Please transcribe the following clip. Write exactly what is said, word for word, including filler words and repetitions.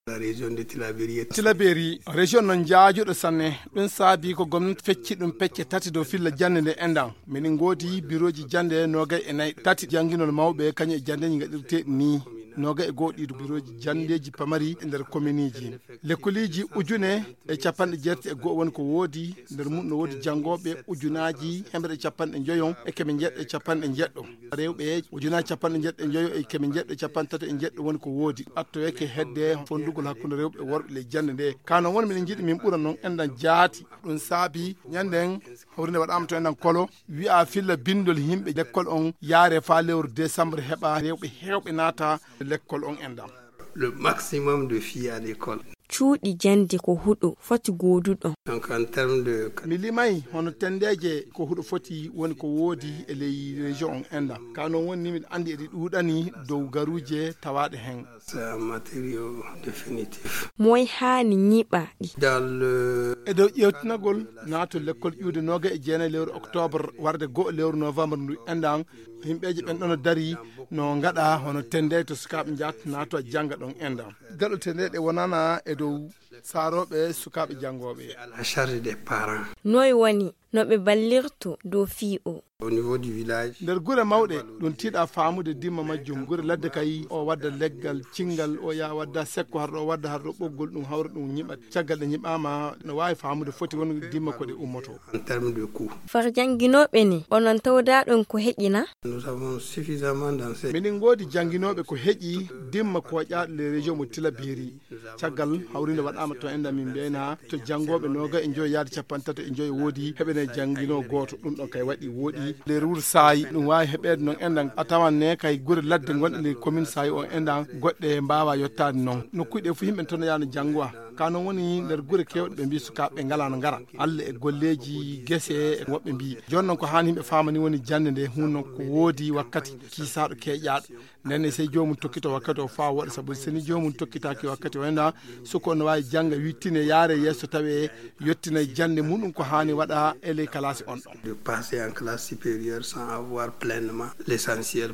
La région de Tilaberi. Tilaberi, région non jaajuɗo sanne. Ɗum saabi ko gomnati fecci ɗum pecce tati dow filla jannde nde enɗan. Miɗen ngoodi birooji jannde noogay e nayi, tati jannginol mawɓe, kañum e janndeeji ngaɗirteeɗi nii. Noogay e goo ɗi birooji janndeeji pamari e nder kominiji. Lekkoliji ujune e capanɗe jeetati e goo woni ko woodi, nder mum no woodi janngooɓe ujunaaji hemre e capanɗe njoyon e keme njeɗɗo e capanɗe njeɗɗo. Rewɓe ujunaaji capanɗe njeɗɗo e njoyo e keme njeɗɗo e capanɗe tato e njeɗɗo woni ko woodi. Ɓattoyeke hedde fondugol hakkunde rewɓe e worɓe ley jannde nde. Ka non woni miɗen njiɗi min ɓura non enɗan jaati. Ɗum saabi ñannden hawrinde waɗaama to enɗan kolo, wi'a filla binndol yimɓe lekkol on yaare faa lewru décembre heɓa rewɓe heewɓe naata lekkol on enɗan. Le maximum de filles à l'école. Cuuɗi jannde ko huɗo foti gooduɗo. Donc en termes de Mi limay hono tenndeeji ko huɗo foti woni ko woodi e ley région on enɗan. Ka non woni ni miɗo anndi eɗi ɗuuɗani dow garuuje tawaaɗe heen. C'est un matériau définitif. Moy haani ñiɓa ɗi? Dans le E dow ƴeewtinagol naatol lekkol ƴiwde noogay e jeenayi lewru octobre warde goo lewru novembre ndu enɗan, yimɓeeje ɓen ɗono dari no ngaɗa hono tenndeeji to sukaaɓe njaat naato jannga ɗon enɗan. Gaɗo tenndeeji ɗe wonana e dow saarooɓe sukaaɓe janngooɓe. À la charge des parents. Noy woni no ɓe ballirto dow fii o? Au niveau du village. Nder gure mawɗe, ɗum tiiɗa faamude dimma majjum. Gure ladde kay, o wadda leggal cinngal, o yaa wadda sekko, harɗo o wadda harɗo ɓoggol, ɗum hawra ɗum ñiɓa. Caggal ɗe ñiɓaama, no waawi faamude foti won dimma ko ɗe ummoto. En termes de coût. Far jannginooɓe ne, onon tawdaaɗon ko heƴina? Nous avons suffisamment d'enseignants. Miɗen ngoodi jannginooɓe ko heƴi dimma ko ƴaaɗo les régions mo Tilaberi. Caggal hawrinde waɗaama to enɗan min mbiyayna to janngooɓe noogay e njoyo yaade capanɗe tato e njoyo woodi heɓene jannginoo gooto. Ɗum ɗon kay waɗi wooɗi. Nder wuro Saayi, ɗum waawi heɓeede noon enɗan. A tawan ne kay gure ladde gonɗe nder commune Saayi o enɗan, goɗɗe mbaawa yottaade noon. Nokkuuji ɗe fof yimɓe toon yaano janngowa. Ka noon woni nder gure keewɗe ɓe mbii sukaaɓe ɓe ngalaa no ngara. Alla e golleeji gese e woɓɓe mbii. Jooni noon ko haani yimɓe faama ni woni jannde nde, huun noon ko woodi wakkati kiisaaɗo keeƴaaɗo. Nden ne sey joomum tokkito wakkati o faa waɗa, sabu so ni joomum tokkitaaki wakkati o enɗan, suka on no waawi jannga, wittine, yaare yeeso, tawe yottina e jannde muɗum ko haani waɗa e ley kalaasi on ɗon. De passer en classe supérieure sans avoir pleinement l'essentiel.